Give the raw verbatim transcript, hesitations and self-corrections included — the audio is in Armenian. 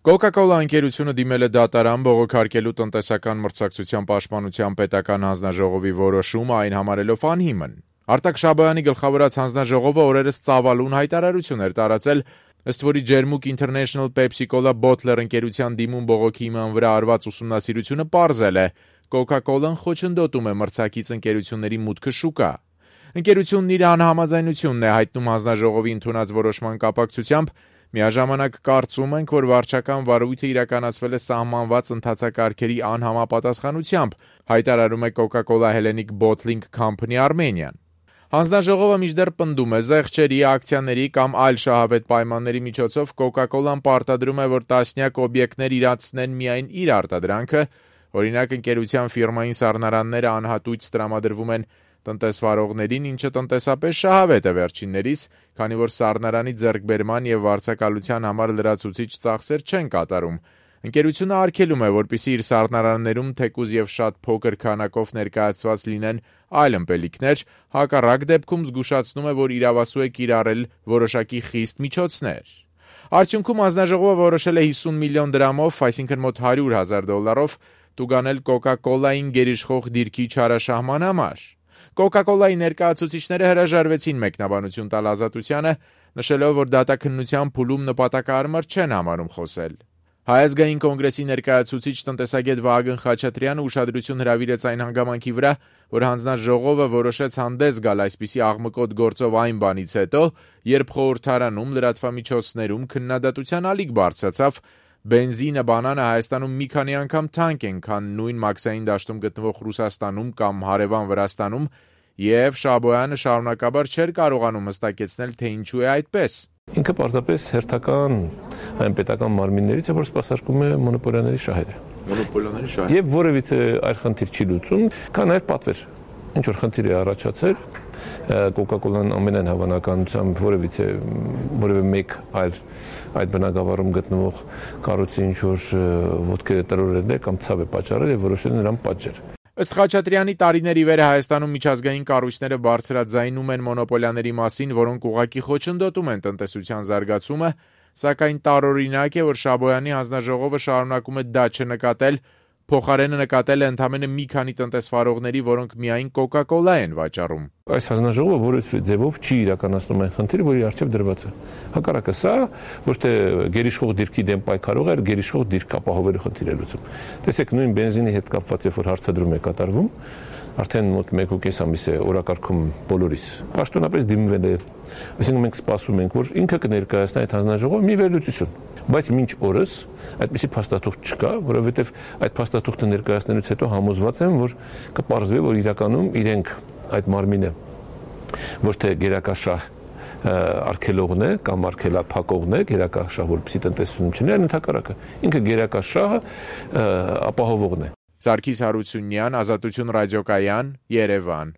Coca-Cola ընկերությունը դիմել է դատարան բողոքարկելու տնտեսական մրցակցության պաշտպանության պետական հանձնաժողովի որոշումը, այն համարելով անհիմն։ Արտակ Շաբոյանի գլխավորած հանձնաժողովը օրերս ծավալուն հայտարարություն էր տարածել, ըստ որի Ջերմուկ International Pepsi-Cola Bottler ընկերության դիմում բողոքի հիման վրա արված ուսումնասիրությունը պարզել է. Coca-Cola-ն խոչընդոտում է մրցակից ընկերությունների մուտքը շուկա։ Ընկերությունն իր անհամաձայնությունն է հայտնում հանձնաժողովի ընդունած որոշման կապակցությամբ, միաժամանակ կարծում ենք, որ վարչական վարույթը իրականացվել է սահմանված ընթացակարգերի անհամապատասխանությամբ, հայտարարում է Coca-Cola Hellenic Bottling Company Armenian։ Հանձնաժողովը մինչդեռ պնդում է զեղչերի, ակցիաների կամ այլ շահավետ պայմանների միջոցով Coca-Cola-ն պարտադրում է, որ տասնյակ օբյեկտներ իրացնեն միայն իր արտադրանքը, օրինակ ընկերության ֆիրմային սառնարանները անհատույց տրամադրվում են տնտեսվարողներին, ինչը տնտեսապես շահավետ է վերջիններիս, քանի որ սառնարանի ձեռքբերման եւ վարձակալության համար լրացուցիչ ծախսեր չեն կատարում։ Ընկերությունը արգելում է, որպեսզի իր սառնարաններում թեկուզ եւ շատ փոքր քանակով ներկայացված լինեն այլ ըմպելիքներ, հակառակ դեպքում զգուշացնում է, որ իրավասու է կիրառել որոշակի խիստ միջոցներ։ Արդյունքում հանձնաժողովը որոշել է հիսուն միլիոն դրամով, այսինքն մոտ հարյուր հազար դոլարով, տուգանել Coca-Cola-ին գերիշխող դիրքի չարաշահման համար։ Coca-Cola-ի ներկայացուցիչները հրաժարվեցին մեկնաբանություն տալ ազատությանը, նշելով, որ դատաքննության փուլում նպատակահարմար չեն համարում խոսել։ Հայ ազգային կոնգրեսի ներկայացուցիչ տնտեսագետ Վահագն Խաչատրյանը ուշադրություն հրավիրեց այն հանգամանքի վրա, որ հանձնաժողովը որոշեց հանդես գալ այսպիսի աղմկոտ գործով այն բանից հետո, երբ խորհրդարանում լրատվամիջոցներում քննադատության ալիք բարձրացավ, բենզինը, բանանը Հայաստանում մի քանի անգամ թանկ են, քան նույն մաքսային դաշտում գտնվող Ռուսաստանում կամ հարևան Վրաստանում, եւ Շաբոյանը շարունակաբար չէր կարողանում հստակեցնել, թե ինչու է այդպես։ Ինքը պարզապես հերթական այն պետական մարմիններից է, որ սպասարկում է մոնոպոլիաների շահերը։ Մոնոպոլիաների շահերը։ Եվ որևիցե այլ խնդիր չի լուծում, կա նաև պատվեր։ Ինչ որ խնդիր է առաջացել, Coca-Cola-ն ամենայն հավանականությամբ որևիցե որևէ մեկ այլ այդ բնակավարում գտնվող կառույցի ինչ որ ոտքերը տրորել է կամ ցավ է պատճառել եւ որոշել նրան պատժել։ Ըստ Խաչատրյանի տարիների վեր Հայաստանում միջազգային կառույցները բարձրաձայնում են մոնոպոլիաների մասին, որոնք ուղղակի խոչընդոտում են տնտեսության զարգացումը, սակայն տարօրինակ է, որ Շաբոյանի հանձնաժողովը շարունակում է դա չնկատել, փոխարենը նկատել է ընդամենը մի քանի տնտեսվարողների, որոնք միայն Coca-Cola են վաճառում։ Այս հանձնաժողովը որևէ ձևով չի իրականացնում այն խնդիրը, որի առջև դրված է։ Հակառակը սա ոչ թե գերիշխող դիրքի դեմ պայքարող է, այլ գերիշխող դիրք ապահովելու խնդիր է լուծում։ Տեսեք, նույն բենզինի հետ կապված, երբ որ հարցադրում է կատարվում, արդեն մոտ մեկ ու կես ամիս է օրակարգում բոլորիս պաշտոնապես դիմվել է, այսինքն մենք սպասում ենք, որ ինքը կներկայացնի այդ հանձնաժողովը մի վերլուծություն։ Բայց մինչ օրս այդպիսի փաստաթուղթ չկա, որովհետև այդ փաստաթուղթը ներկայացնելուց հետո համոզված եմ, որ կպարզվի, որ իրականում իրենք այդ մարմինը ոչ թե գերակաշահ արգելողն է կամ արգելափակողն է, գերակաշահ, որպեսզի տնտեսություն չլինի, այլ ընդհակառակը ինքը գերակաշահը ապահովողն է։ Սարգիս Հարությունյան, Ազատություն ռադիոկայան, Երևան։